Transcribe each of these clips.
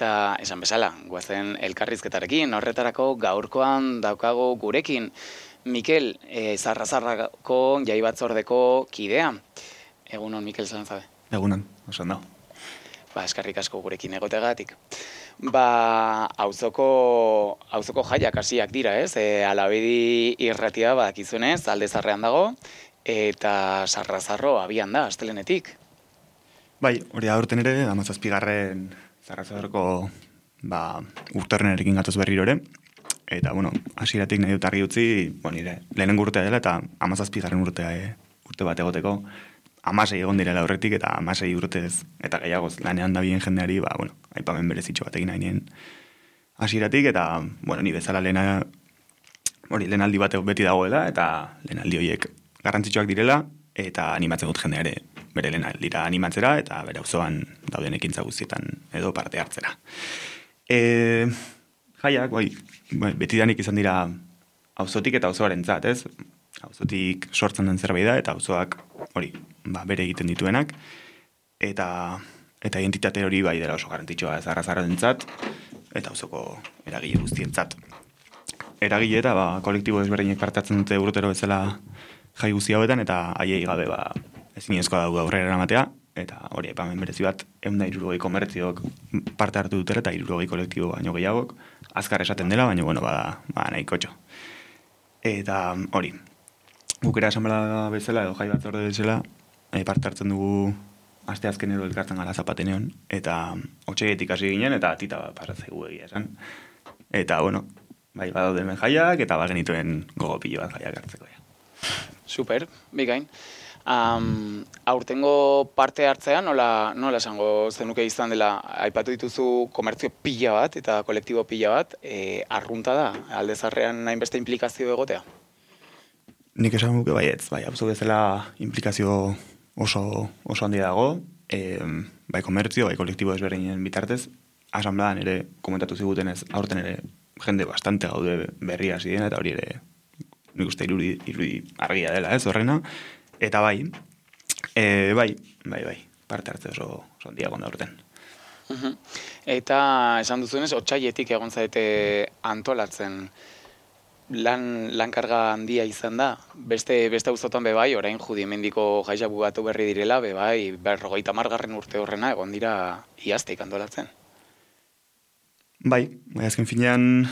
Eta esan bezala, guazen elkarrizketarekin, horretarako gaurkoan daukago gurekin Mikel, Zarrazarrako jai batzordeko kidea. Egunon, Mikel Zalanzabe. Egunon, oso ondo. Eskerrik asko gurekin egotegatik. Auzoko jaiak hasiak dira, ez? Alabedi irratia badakizunez, Alde Zarrean dago, eta Zarrazarro abian da, astelenetik. Bai, hori aurten ere, 17. Zarrazarroko urtarrenerekin gatoz berriro ere. Eta, hasieratik nahi dut argi utzi, nire lehenengo urtea dela eta 17. urte bat egoteko. 16 egon direla horretik eta 16 urtez eta gehiagoz lanean da bien jendeari, aipamen berezitxo bat egin hainien hasieratik eta, ni bezala lehenaldi bat beti dagoela eta lehenaldi horiek garrantzitsuak direla eta animatzen dut jendeare bere lehenaldira animatzera eta bere auzoan dauden ekintza guztietan edo parte hartzera. Jaiak, betidanik izan dira auzotik eta auzoarentzat, ez? Auzotik sortzen den zerbait da eta auzoak bere egiten dituenak eta identitate hori bai dela oso garrantzitsua Zarrazarrentzat eta auzoko eragile guztientzat. Eragile eta kolektibo ezberdinek parte hartzen dute urtero bezala jai guzti hauetan eta haiei gabe ezinezkoa daude aurrera eramatea eta hori aipamen berezi bat 160 komertziok parte hartu dutera eta 60 kolektibo baino gehiagok azkar esaten dela, baina bada nahikotxo. Eta hori, gukera asamblea bezala edo jai batzorde bezala parte hartzen dugu asteazkenero elkartzen gara Zapateneon eta otsaietik hasi ginen eta tita pasatzaigu egia esan. Eta badaude hemen jaiak eta bagenituen gogo pilo bat jaiak hartzeko. Super, bikain. Aurtengo parte hartzea nola esango zenuke izan dela, aipatu dituzu komertzio pila bat eta kolektibo pila bat, arrunta da, Alde Zarrean hainbeste implikazio egotea? Nik esan nuke baietz, auzo bezala implikazio oso handia dago, bai komertzio, bai kolektibo ezberdinen bitartez, asanbladan ere komentatu zigutenez, aurten ere jende bastante gaude berria hasi dena eta hori ere nik uste irudi argia dela, ez horrena, eta bai, parte hartze oso handia gonda aurten. Eta esan duzuenez, otsaietik egon zaite antolatzen, lankarga handia izan da. Beste auzotan bebai, orain Judimendiko jaiak bugatu berri direla, bebai, 50. urte horrena egon dira iazteik antolatzen. Bai, azken finean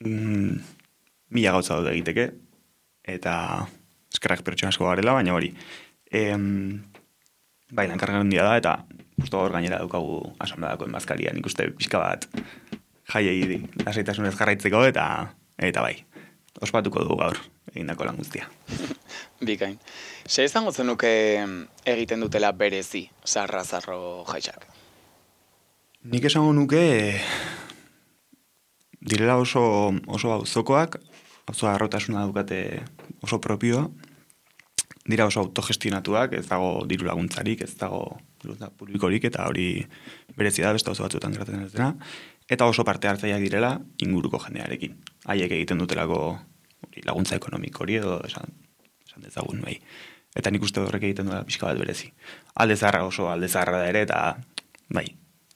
1000 gauza daude egiteke, eta eskerrak pertsona asko garela, baina hori. Lankarga handia da, eta justo hor gainera daukagu asanbladako enbazkaria, nik uste pixka bat jaiei lasaitasunez jarraitzeko, eta bai. Ospatuko dugu gaur, egindako lan guztia. Bikain. Ze izango zenuke egiten dutela berezi Zarrazarro jaiak? Nik esango nuke direla oso auzokoak, auzo harrotasuna daukate oso propioa, dira oso autogestionatuak, ez dago diru laguntzarik, ez dago publikorik, eta hori berezi da beste auzo batzuetan gertatzen ez dena, eta oso parte hartzaileak direla inguruko jendearekin. Haiek egiten dutelako laguntza ekonomiko hori edo esan dezagun bai. Eta nik uste horrek egiten duela pixka bat berezi. Alde Zaharra oso Alde Zaharra da ere, eta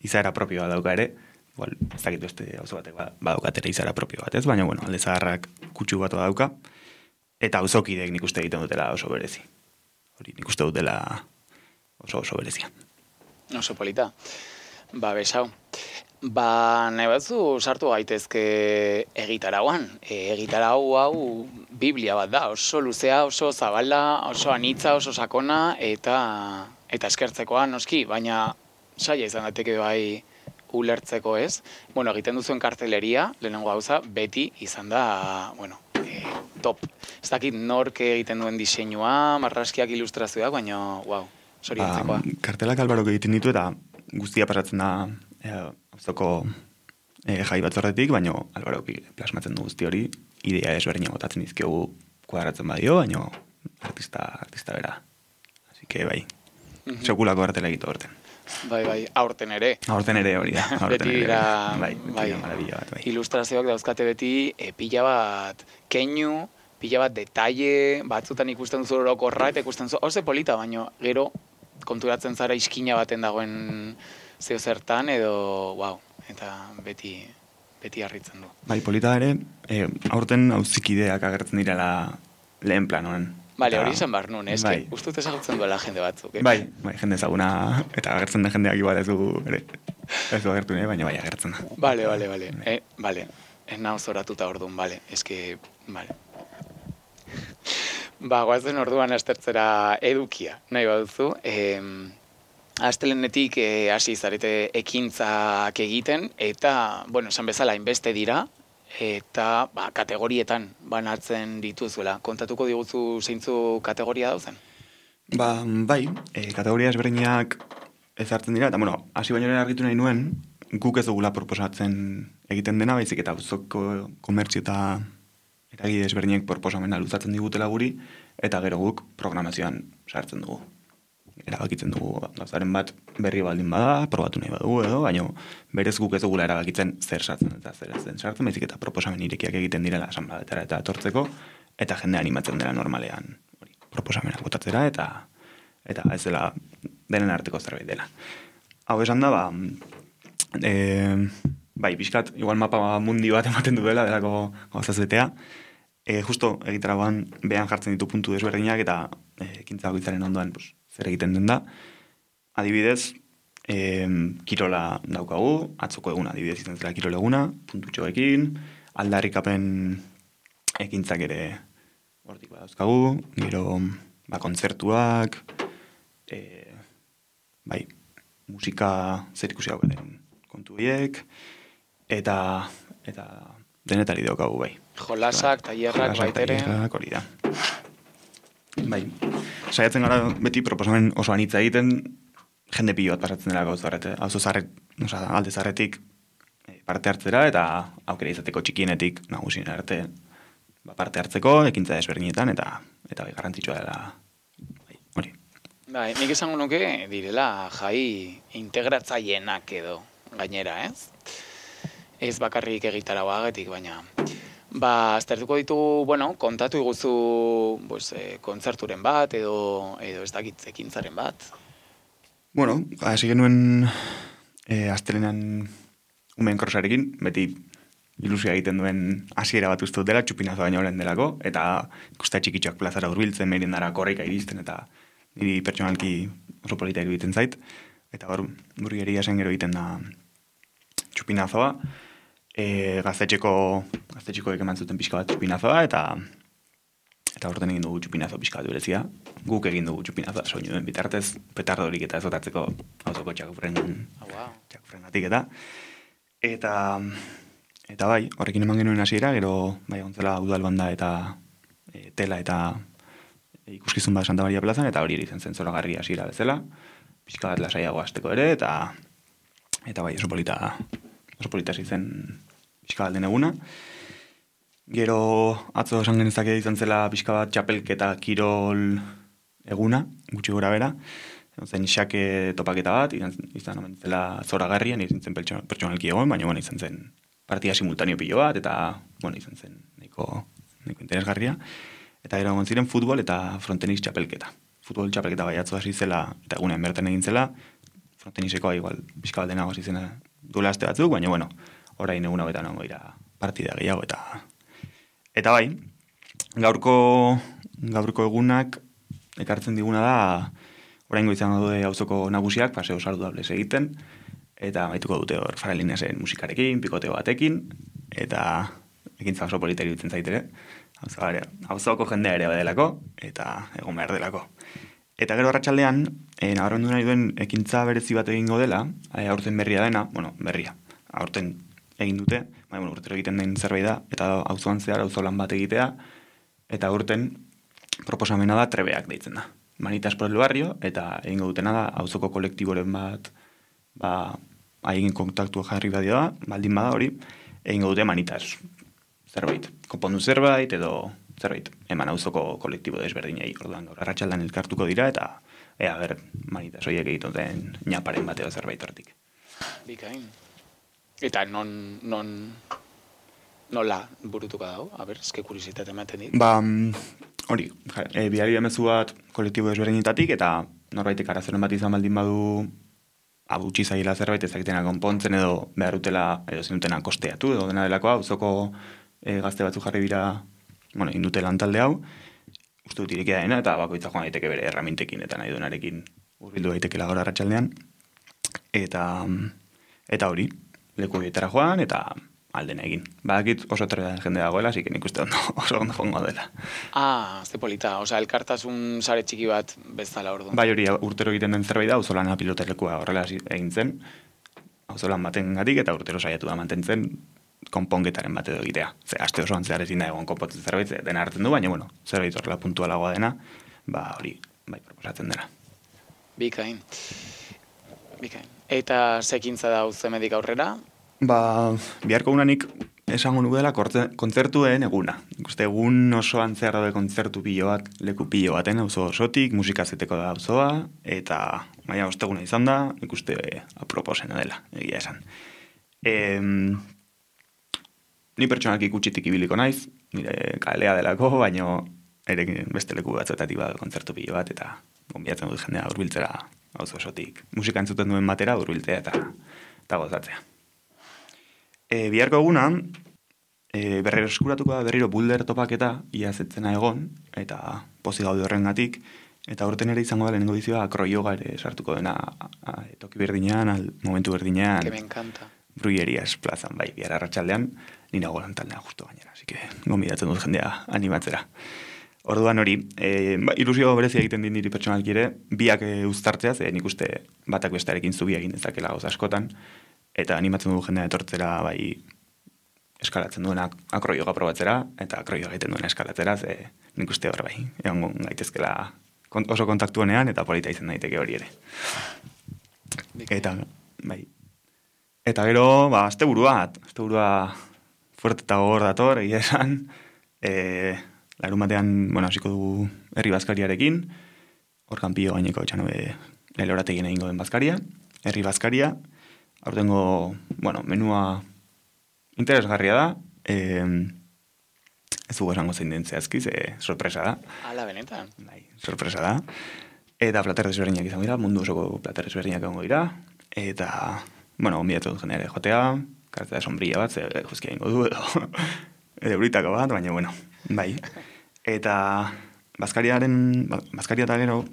izaera propioa dauka ere, ez dakit beste auzo batek badaukatera izaera propio bat, ez? Baina, Alde Zaharrak kutsu bat dauka, eta auzokideek nik uste egiten dutela oso berezi. Hori nik uste dutela oso berezia. Oso polita. Besau. Nahi batzu sartu gaitezke egitarauan. Egitarau hau Biblia bat da, oso luzea, oso zabala, oso anitza, oso sakona, eta eskertzekoa noski, baina saia izan dateke bai ulertzeko ez. Egiten duzuen karteleria, lehenengo gauza, beti izan da, top. Ez dakit nork egiten duen diseinua, marraskiak, ilustrazioak, baina, zoriontzekoa. Kartelak Albarok egiten ditu eta guztia pasatzen da auzoko jai batzordetik, baina Albarok plasmatzen du guzti hori, idea ezberdina botatzen dizkiogu kuadratzen badio, baina artista bera. Así que bai, sekulako kartela egitu aurten. Bai, aurten ere. Aurten ere hori da. Beti dira, maravilla bat, bai. Ilustrazioak dauzkate beti pila bat keinu, pila bat detalle, batzutan ikusten duzu orokorra eta ikusten duzu, oso polita, baina gero konturatzen zara iskina baten dagoen zeo zertan edo, eta beti harritzen du. Bai, polita ere, aurten auzikideak agertzen direla lehen planoan. Bale, hori izan behar nun, eske, bai. ustut ezagutzen duela jende batzuk. Bai, jende ezaguna, eta agertzen den jendeak igual ez du agertu nahi, baina bai agertzen da. Bale. Bale, nahoz zoratuta orduan, bale, eske, bale. Goazen orduan astertzera edukia, nahi baduzu. Astelenetik hasi zarete ekintzak egiten, eta, esan bezala, inbeste dira, eta kategorietan banatzen dituzuela. Kontatuko diguzu zeintzu kategoria dauzen? Bai, kategoria ezberdinak ezartzen dira, eta, hasi baino argitu nahi nuen, guk ez dugula proposatzen egiten dena, baizik eta auzoko komertzio eta eragile ezberdinak proposamena luzatzen digutela guri, eta gero guk programazioan sartzen dugu. Erabakitzen dugu gauzaren bat berri baldin bada, probatu nahi badugu edo, baina berez guk ez dugula erabakitzen zer sartzen eta zer ez den sartzen, baizik eta proposamen irekiak egiten direla asanbladetara eta etortzeko, eta jende animatzen dela normalean proposamenak botatzera, eta ez dela denen arteko zerbait dela. Hau esan da, bai, pixkat, igual mapa mundi bat ematen duela, delako gauzaz betea, justo egitaragoan behan jartzen ditu puntu desberdinak, eta ekintza bakoitzaren ondoan zer egiten den da. Adibidez, kirola daukagu, atzoko eguna adibidez izan zela kirol eguna, puntutxoekin, aldarrikapen ekintzak ere hortik badauzkagu, gero kontzertuak, bai, musika zer ikusi den kontu horiek, eta denetari daukagu, bai. Jolasak, tailerrak, baitere. Hori da. Bai, saiatzen gara beti proposamen oso anitza egiten, jende pilo bat pasatzen dela gauza horret, alde zarretik parte hartzera, eta aukera izateko txikienetik nagusien arte parte hartzeko, ekintza desberdinetan, eta bai garrantzitsua dela, hori. Bai, nik esango nuke direla jai integratzaienak edo gainera, ez? Ez bakarrik egitaragoagatik, baina aztertuko ditugu, kontatu iguzu kontzerturen bat edo ez dakit ekintzaren bat. Hasi genuen astelenan umeen krosarekin, beti ilusia egiten duen hasiera bat uste dela, txupinazo baino lehen delako, eta ikusta txikitxoak plazara hurbiltzen, merindara korrika iristen, eta niri pertsonalki oso polita iruditzen zait, eta burgeria zen gero egiten da txupinazoa, gaztetxekoek eman zuten pixka bat txupinazoa, eta horten egin dugu txupinazo pixka bat berezia. Guk egin dugu txupinazoa soinu den bitartez, petardorik eta ezotatzeko auzoko txakufrengatik eta bai, horrekin eman genuen hasiera, gero bai gontzela udalbanda eta tela eta ikuskizun bat Santa Maria plazan, eta hori izan zen zoragarri hasiera bezala, pixka bat lasaiago hasteko ere, eta bai oso polita zen pixka bat den eguna. Gero atzo esan genezake izan zela pixka bat txapelketa kirol eguna, gutxi gora bera. Zen xake topaketa bat, izan omen zela zoragarrian, izan zen pertsonalki egon, baina izan zen partida simultaneo pilo bat, eta izan zen nahiko interesgarria. Eta gero egon ziren futbol eta frontenis txapelketa. Futbol txapelketa bai atzo hasi zela, eta egunean bertan egin zela, frontenisekoa igual pixka bat denago hasi zena duela aste batzuk, baina orain egun hauetan ongo ira partida gehiago, eta bai, gaurko egunak ekartzen diguna da, oraingo izango dute auzoko nagusiak, paseo saludables egiten, eta maituko dute hor Faralineasen musikarekin, pikoteo batekin, eta ekintza oso polita iruditzen zaitere, auzoko jendea ere badelako, eta egon behar delako. Eta gero arratsaldean, nabarmendu nahi duen ekintza berezi bat egingo dela, aurten berria dena, berria, aurten egin dute, urtero egiten den zerbait da, eta auzoan zehar auzo lan bat egitea, eta aurten proposamena da trebeak deitzen da. Manitas por el barrio, eta egingo dutena da auzoko kolektiboren bat, haien kontaktua jarri badio da, baldin bada hori, egingo dute manitas zerbait. Konpondu zerbait edo zerbait, eman auzoko kolektibo desberdinei, orduan gaur arratsaldean elkartuko dira, eta manitas horiek egiten den ñaparen bateo zerbait hortik. Bikain. Eta nola burutuko dago? Eske kuriositate ematen dit. Hori, bidali emezu bat kolektibo desberdinetatik, eta norbaitek arazoren bat izan baldin badu abutsi zaila zerbait ezakitena konpontzen edo behar dutela edo zenutena kosteatu edo dena delakoa, auzoko gazte batzu jarri dira, bueno, indute lan talde hau, uste dut irekia dena, eta bakoitza joan daiteke bere erramintekin eta nahi duenarekin hurbildu daitekela gaur arratsaldean. Eta hori, leku horietara joan, eta aldena egin. Badakit oso terrean jende dagoela, así que nik uste oso ondo joango dela. Ze polita, elkartasun sare txiki bat bezala orduan. Bai, hori urtero egiten den zerbait da, auzolana pilotelekua horrela egin zen, auzolan baten gatik, eta urtero saiatu da mantentzen konponketaren bat edo egitea. Aste osoan zehar ezin da egon konpotzen zerbait, dena hartzen du, baina, bueno, zerbait horrela puntualagoa dena, hori, bai, proposatzen dena. Bikain. Eta sekintza da uzemedik aurrera? Biharko unanik esango nukela kontzertuen eguna. Ikuste egun osoan zehar daude kontzertu pilo bat, leku pilo baten, auzo osotik, musika zeteko da auzoa, eta maia osteguna izan da, ikuste aproposena dela, egia esan. Ni pertsonalki ikutsitik ibiliko naiz, nire kalea delako, baino ere beste leku batzuetatik bada kontzertu pilo bat, eta gonbiatzen dut jendea hurbiltzera auzo osotik. Musika entzuten duen batera hurbiltzea eta gozatzea. Biharko eguna, berriro eskuratuko da berriro bulder topaketa iazetzena egon, eta pozik gaude horrengatik, eta urten ere izango da lehenengo dizioa akroyoga ere sartuko dena toki berdinean, momentu berdinean. Que me encanta. Brullerias plazan, bai, bihar arratsaldean nina golan taldea justo gainera, así que gonbidatzen dut jendea animatzera. Orduan hori, ilusio berezia egiten din niri pertsonalki ere, biak uztartzea, ze nik uste batak bestearekin zubia egin dezakela gauz askotan, eta animatzen dugu jendea etortzera, bai, eskalatzen duena akroioga probatzera, eta akroioga egiten duena eskalatzera, ze nik uste hor bai, egon gaitezkela oso kontaktuenean, eta polita izan daiteke hori ere. Eta, bai. Eta gero, asteburua fuerte eta gogor dator, egia esan, larun batean, hasiko dugu herri bazkariarekin, hor kanpio gaineko etxanobe lelorategien egingo den bazkaria, herri bazkaria, aurtengo, menua interesgarria da, ez dugu esango zein den zehazki, sorpresa da. Ala, benetan. Bai, sorpresa da. Eta plater desberdinak izango dira, mundu osoko plater desberdinak egongo dira, eta, gonbidatu dut jendeare jotea, kartzea sombrilla bat, juzkia ingo du, edo britako bat, baina, bai. Eta bazkaria eta gero,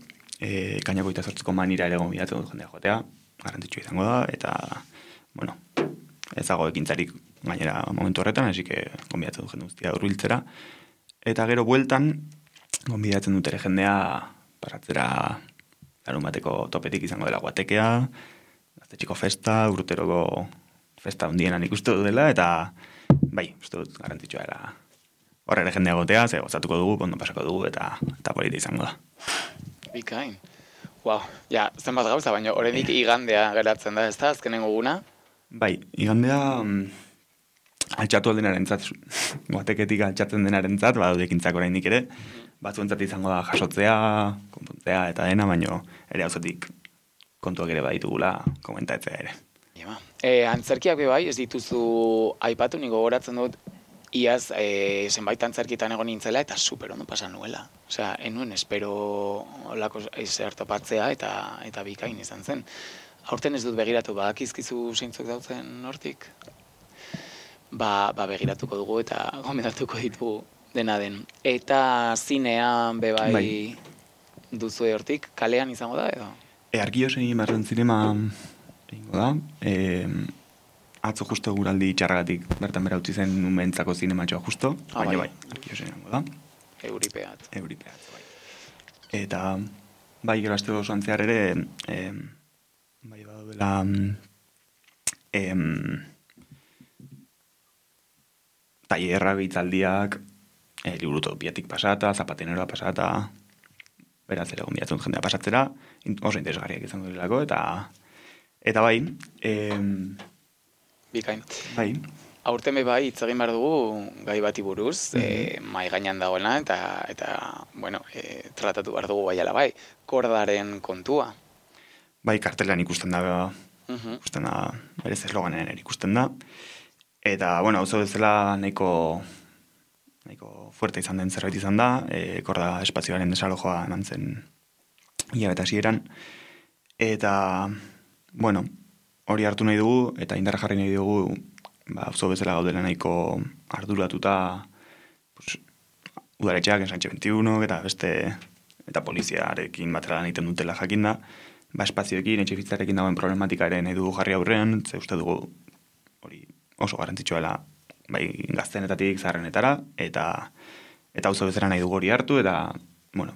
kainako eta sortzeko manira ere gonbidatu dut jendea jotea, garrantzitsu izango da, eta, ez dago ekintzarik gainera momentu horretan, hasi que gonbidatzen dut jende guztia hurbiltzera. Eta gero bueltan, gonbidatzen dut ere jendea pasatzera larun bateko topetik izango dela guatekea, gaztetxiko festa, urteroko festa hundienan ikustu dela, eta bai, uste dut garrantzitsua era horre ere jendea gotea, ze gozatuko dugu, ondo pasako dugu, eta polita izango da. Bikain. Ja, zenbat gauza, baina horrenik igandea geratzen da, ez da, azkenengo guna? Bai, igandea altxatu aldenaren zat, guateketik altxatzen denaren zat, badaudekintzak oraindik ere, batzuentzat izango da jasotzea, konpontzea eta dena, baino ere auzotik kontuak ere baditugula komentatzea ere. Antzerkiak bai, ez dituzu aipatu, niko gogoratzen dut, iaz zenbait antzerkitan egon nintzela eta super ondo pasan nuela. Osea, enuen espero olako zer topatzea eta bikain izan zen. Aurten ez dut begiratu, badakizkizu zeintzuk dautzen hortik? Begiratuko dugu eta gomendatuko ditugu dena den. Eta zinean bai duzu hortik, kalean izango da edo? Arkiosen Marren Zinema egingo da. Atzo justo guraldi txarragatik bertan bera utzi zen umentzako zinematxoa justo, baina bai, Arkiosen egingo da. Euripeat, bai. Eta bai, gero aste osoan zehar ere, bai baduela tailerrak, hitzaldiak, liburutopiatik pasata, zapatenera pasata, beraz ere gonbidatzen jendea pasatzera, oso interesgarriak izango direlako, eta bai, bikain. Bai. Aurten bai hitz egin behar dugu gai bati buruz, mai gainean dagoena, eta tratatu behar dugu bai ala bai, kordaren kontua. Bai, kartelan ikusten da, berez esloganean ikusten da, eta, auzo bezala nahiko fuerte izan den zerbait izan da, korda espazioaren desalojoa nantzen hilabete hasieran, eta bueno, hori hartu nahi dugu, eta indarra jarri nahi dugu, auzo bezala gaudela nahiko arduratuta, pues, udaletxeak, Ensanche 21, eta beste, eta poliziarekin batera lan egiten dutela jakinda, espazioekin, etxebizitzarekin dagoen problematika ere nahi dugu jarri aurrean, ze uste dugu hori oso garrantzitsua bai gaztenetatik zaharrenetara, eta auzo bezala nahi dugu hori hartu, eta, bueno,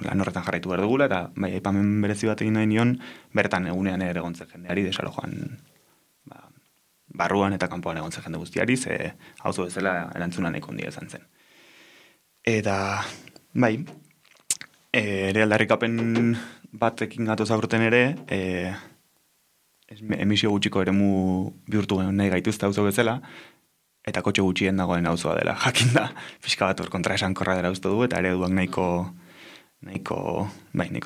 lan horretan jarraitu behar dugula, eta bai, aipamen berezi bat egin nahi nion, bertan egunean ere egontzen jendeari, desalojoan barruan eta kanpoan egontzen jende guztiari, ze auzo bezala erantzuna nahiko handia izan zen. Eta, bai, ere aldarrikapen batekin gatoz aurten ere, emisio gutxiko eremu bihurtu nahi gaituzte auzo bezala, eta kotxe gutxien dagoen auzoa dela. Jakinda, pixka bat hor kontra esankorra dela uste du, eta ereduak nahiko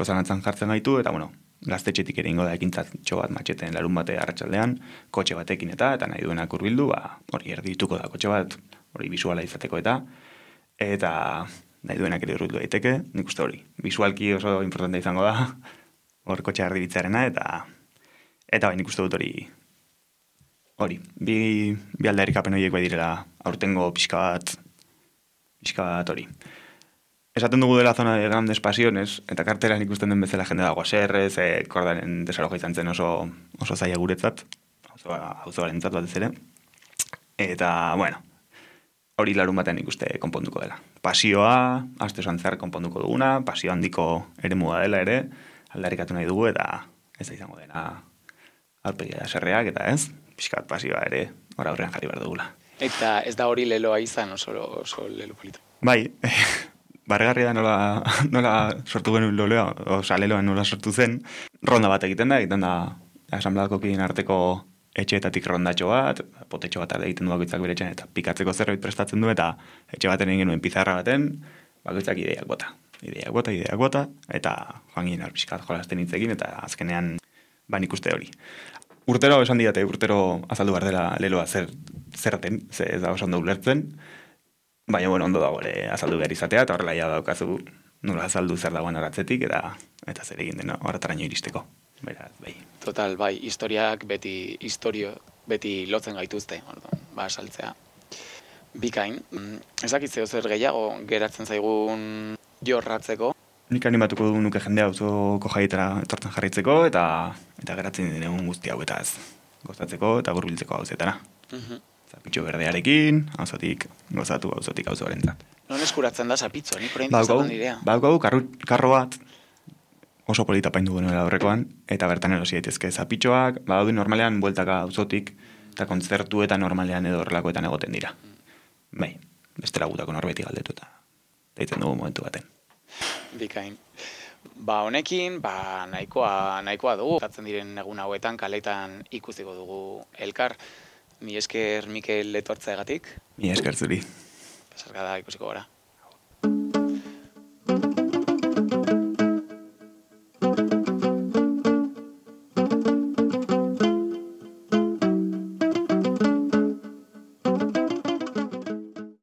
zalantzan jartzen gaitu, eta bueno, gaztetxetik ere ingo da ekintzatxo bat matxeten larun bate arratsaldean, kotxe batekin eta nahi duenak hurbildu, hori erdituko da kotxe bat, hori bisuala izateko eta nahi duenak ere hurbildu daiteke, nik uste hori, bisualki oso importante izango da, hor kotxe erdibitzarena, eta bai, nik uste dut hori, bi aldarrikapen horiek bai direla aurtengo pixka bat hori. Esaten dugu dela zona de grandes pasiones, eta kartelan ikusten den bezala jende dago aserrez, kordaren desaloja izan zen oso zaila guretzat, auzoarentzat batez ere. Eta, bueno, hori larun batean ikuste konponduko dela. Pasioa, aste osan zehar konponduko duguna, pasio handiko eremua dela ere, aldarrikatu nahi dugu, eta ez da izango dena aurpegia aserreak, eta ez, pixkat pasioa ere, hor aurrean jarri behar dugula. Eta ez da hori leloa izan, oso lelo polito. Bai, barregarria da nola sortu genuen leloa, oza, leloa nola sortu zen, ronda bat egiten da asanbladako kideen arteko etxeetatik rondatxo bat, potetxo bat egiten du bakoitzak bere etxean, eta pikatzeko zerbait prestatzen du, eta etxe baten egin genuen pizarra baten, bakoitzak ideak bota, eta joan ginen pixkat jolasten hitzekin, eta azkenean nik uste hori. Urtero esan didate, urtero azaldu behar dela leloa zerten, ze ez da oso ondo ulertzen, baina, bueno, ondo dago ere azaldu behar izatea, eta horrela ja daukazu nola azaldu zer dagoen horatzetik, eta zer egin dena horretaraino iristeko. Beraz, bai. Total, bai, historiak beti lotzen gaituzte, saltzea. Bikain, ezakitze zer gehiago geratzen zaigun jorratzeko? Nik animatuko du nuke jendea auzoko jaietara etortzen jarraitzeko, eta geratzen den egun guzti hauetaz gozatzeko eta hurbiltzeko auzetara. Zapitxo berdearekin, auzotik gozatu, auzotik auzoarentzat. Non eskuratzen da zapitxo, nik orain dizatzen direa. Baukagu karro bat oso polita paindu genuela aurrekoan, eta bertan erosi daitezke zapitxoak, badaude normalean bueltaka auzotik, eta kontzertu eta normalean edo horrelakoetan egoten dira. Bai, bestela gutako norbeti galdetu eta deitzen dugu momentu baten. Bikain. Honekin, nahikoa dugu. Zatzen diren egun hauetan, kaletan ikusiko dugu elkar. Mi esker Mikel etortzaegatik. Mi esker zuri. Pasarkada ikusiko gara.